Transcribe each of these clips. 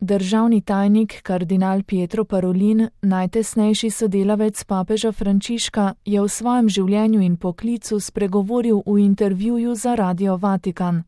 Državni tajnik kardinal Pietro Parolin, najtesnejši sodelavec papeža Frančiška, je v svojem življenju in poklicu spregovoril v intervjuju za Radio Vatikan.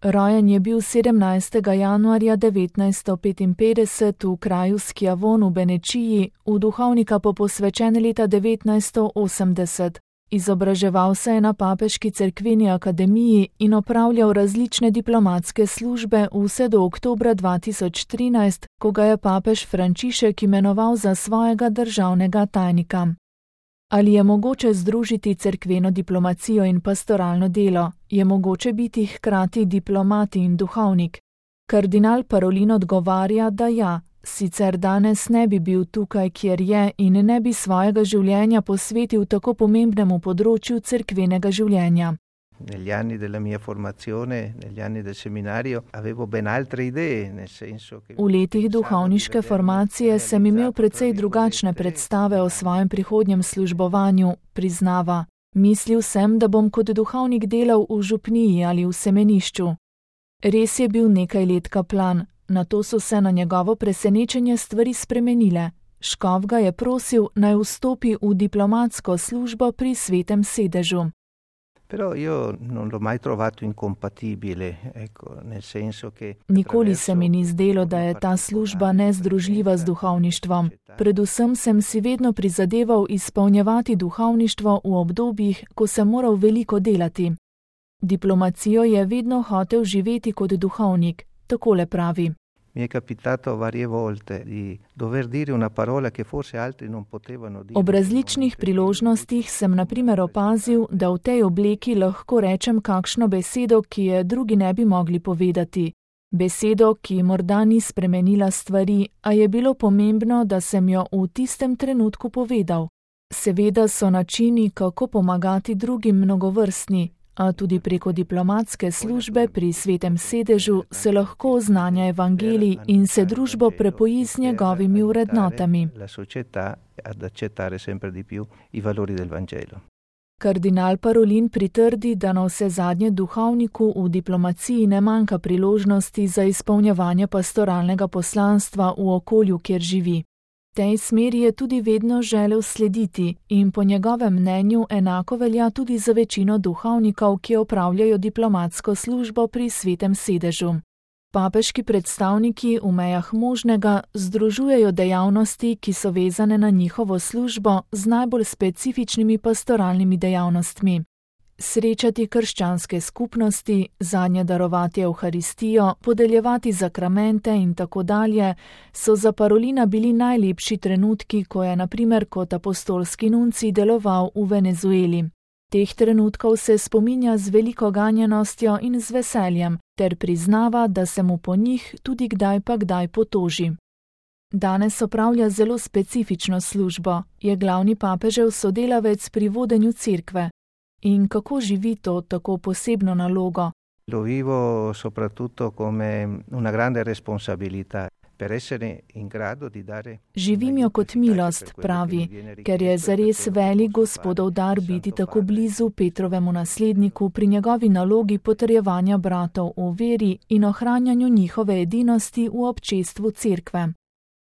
Rojen je bil 17. januarja 1955 v kraju Schiavon v Benečiji, v duhovnika pa posvečen leta 1980. Izobraževal se je na Papeški cerkveni akademiji in opravljal različne diplomatske službe vse do oktobra 2013, ko ga je papež Frančišek imenoval za svojega državnega tajnika. Ali je mogoče združiti cerkveno diplomacijo in pastoralno delo? Je mogoče biti hkrati diplomat in duhovnik? Kardinal Parolin odgovarja, da ja. Sicer danes ne bi bil tukaj, kjer je, in ne bi svojega življenja posvetil tako pomembnemu področju cerkvenega življenja. Negli anni della mia formazione, negli anni del seminario, avevo ben altre idee, nel senso che... V letih duhovniške formacije sem imel precej drugačne predstave o svojem prihodnjem službovanju, priznava. Mislil sem, da bom kot duhovnik delal v župniji ali v semenišču. Res je bil nekaj let kaplan. Nato so se na njegovo presenečenje stvari spremenile. Škof ga je prosil, naj vstopi v diplomatsko službo pri Svetem sedežu. Nikoli se mi ni zdelo, da je ta služba nezdružljiva z duhovništvom. Predvsem sem si vedno prizadeval izpolnjevati duhovništvo v obdobjih, ko sem moral veliko delati. Diplomacijo je vedno hotel živeti kot duhovnik. Takole pravi. Ob različnih priložnostih sem na primer opazil, da v tej obleki lahko rečem kakšno besedo, ki je drugi ne bi mogli povedati. Besedo, ki morda ni spremenila stvari, a je bilo pomembno, da sem jo v tistem trenutku povedal. Seveda so načini, kako pomagati drugim, mnogovrstni. A tudi preko diplomatske službe pri Svetem sedežu se lahko oznanja evangelij in se družbo prepoji z njegovimi vrednotami. Kardinal Parolin pritrdi, da na vsezadnje duhovniku v diplomaciji ne manjka priložnosti za izpolnjevanje pastoralnega poslanstva v okolju, kjer živi. Tej smeri je tudi vedno želel slediti in po njegovem mnenju enako velja tudi za večino duhovnikov, ki opravljajo diplomatsko službo pri Svetem sedežu. Papeški predstavniki v mejah možnega združujejo dejavnosti, ki so vezane na njihovo službo z najbolj specifičnimi pastoralnimi dejavnostmi. Srečati krščanske skupnosti, zanje darovati evharistijo, podeljevati zakramente in tako dalje, so za Parolina bili najlepši trenutki, ko je na primer kot apostolski nuncij deloval v Venezueli. Teh trenutkov se spominja z veliko ganjenostjo in z veseljem, ter priznava, da se mu po njih tudi kdaj pa kdaj potoži. Danes opravlja zelo specifično službo, je glavni papežev sodelavec pri vodenju cerkve. In kako živi to tako posebno nalogo? Lo vivo soprattutto come una grande responsabilità per essere in grado di dare. Živim jo kot milost, pravi, ker je zares velik Gospodov dar biti tako blizu Petrovemu nasledniku pri njegovi nalogi potrjevanja bratov v veri in ohranjanju njihove edinosti v občestvu cerkve.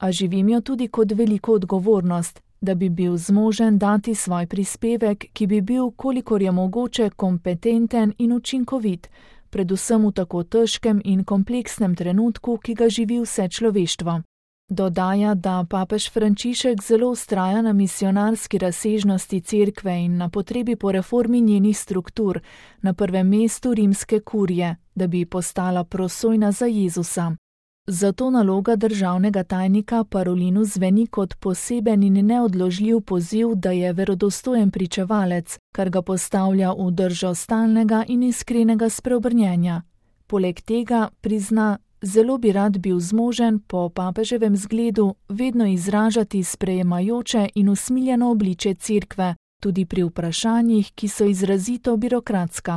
A živim jo tudi kot veliko odgovornost, da bi bil zmožen dati svoj prispevek, ki bi bil, kolikor je mogoče, kompetenten in učinkovit, predvsem v tako težkem in kompleksnem trenutku, ki ga živi vse človeštvo. Dodaja, da papež Frančišek zelo vztraja na misionarski razsežnosti cerkve in na potrebi po reformi njenih struktur, na prvem mestu rimske kurije, da bi postala prosojna za Jezusa. Zato naloga državnega tajnika Parolinu zveni kot poseben in neodložljiv poziv, da je verodostojen pričevalec, kar ga postavlja v držo stalnega in iskrenega spreobrnjenja. Poleg tega, prizna, zelo bi rad bil zmožen po papeževem zgledu vedno izražati sprejemajoče in usmiljeno obličje cerkve, tudi pri vprašanjih, ki so izrazito birokratska.